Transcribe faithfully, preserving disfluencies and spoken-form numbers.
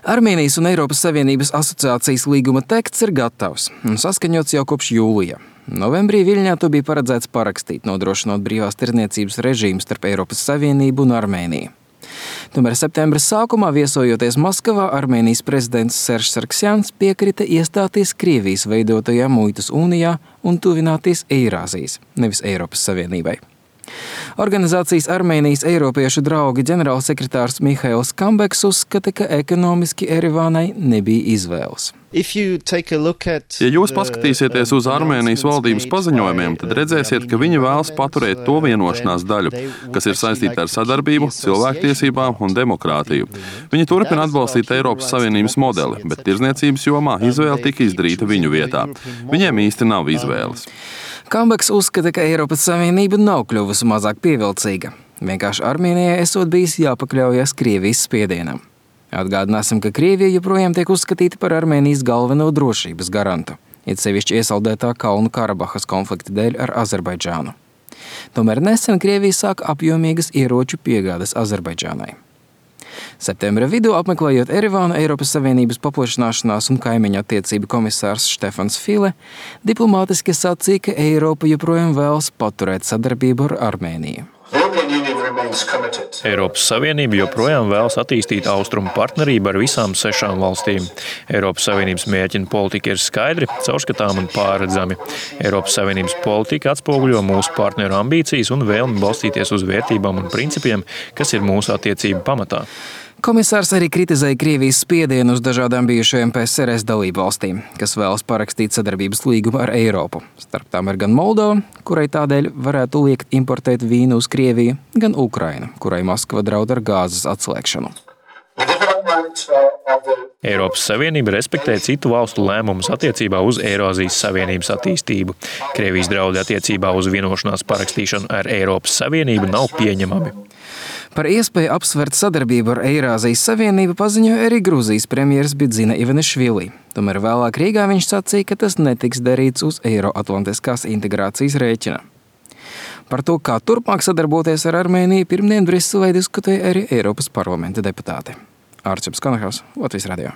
Armēnijas un Eiropas Savienības asociācijas līguma teksts ir gatavs un saskaņots jau kopš jūlija. Novembrī Viļņā to bija paredzēts parakstīt, nodrošinot brīvās tirdzniecības režīmu starp Eiropas Savienību un Armēniju. Tomēr septembra sākumā, viesojoties Maskavā, Armēnijas prezidents Seržs Sargsjans piekrita iestāties Krievijas veidotajā muitas unijā un tuvināties Eirāzijas, nevis Eiropas Savienībai. Organizācijas Armēnijas Eiropiešu draugi ģenerālsekretārs Mihails Kambeks uzskata, ka ekonomiski Erevānai nebija izvēles. Ja jūs paskatīsieties uz Armēnijas valdības paziņojumiem, tad redzēsiet, ka viņi vēlas paturēt to vienošanās daļu, kas ir saistīta ar sadarbību, cilvēktiesībām un demokrātiju. Viņi turpina atbalstīt Eiropas Savienības modeli, bet tirdzniecības jomā izvēle tika izdarīta viņu vietā. Viņiem īsti nav izvēles. Kambeks uzskata, ka Eiropas Savienība nav kļuvusi mazāk pievilcīga. Vienkārši Armēnijai esot bijis jāpakļaujas Krievijas spiedienam. Atgādināsim, ka Krievija joprojām tiek uzskatīta par Armēnijas galveno drošības garantu, it sevišķi iesaldētā Kalnu Karabahas konflikta dēļ ar Azerbaidžānu. Tomēr nesen Krievija sāka apjomīgas ieroču piegādes Azerbaidžānai. Septembra vidū, apmeklējot Erevānu, Eiropas Savienības paplašināšanās un kaimiņu attiecību komisārs Štefans File diplomātiski sacīja, ka Eiropa joprojām vēlas paturēt sadarbību ar Armēniju. Eiropas Savienība joprojām vēlas attīstīt austrumu partnerību ar visām sešām valstīm. Eiropas Savienības mērķi un politika ir skaidri, caurskatām un pārredzami. Eiropas Savienības politika atspoguļo mūsu partneru ambīcijas un vēlmi balstīties uz vērtībām un principiem, kas ir mūsu attiecību pamatā. Komisārs arī kritizēja Krievijas spiedienu uz dažādām bijušajām P S R S dalību valstīm, kas vēlas parakstīt sadarbības līgumu ar Eiropu. Starp tām ir gan Moldova, kurai tādēļ varētu liekt importēt vīnu uz Krieviju, gan Ukraina, kurai Maskava draud ar gāzes atslēgšanu. Eiropas Savienība respektē citu valstu lēmumus attiecībā uz Eirāzijas Savienības attīstību. Krievijas draudi attiecībā uz vienošanās parakstīšanu ar Eiropas Savienību nav pieņemami. Par iespēju apsvērt sadarbību ar Eirāzijas Savienību paziņoja arī Gruzijas premjeras Bidzina Ivanišvili. Tomēr vēlāk Rīgā viņš sacīja, ka tas netiks darīts uz Eiroatlantiskās integrācijas rēķina. Par to, kā turpmāk sadarboties ar Armēniju, pirmdien Briselē diskutēja arī Eiropas parlamenta deputāti. Ārčups Konahaus, Latvijas radio.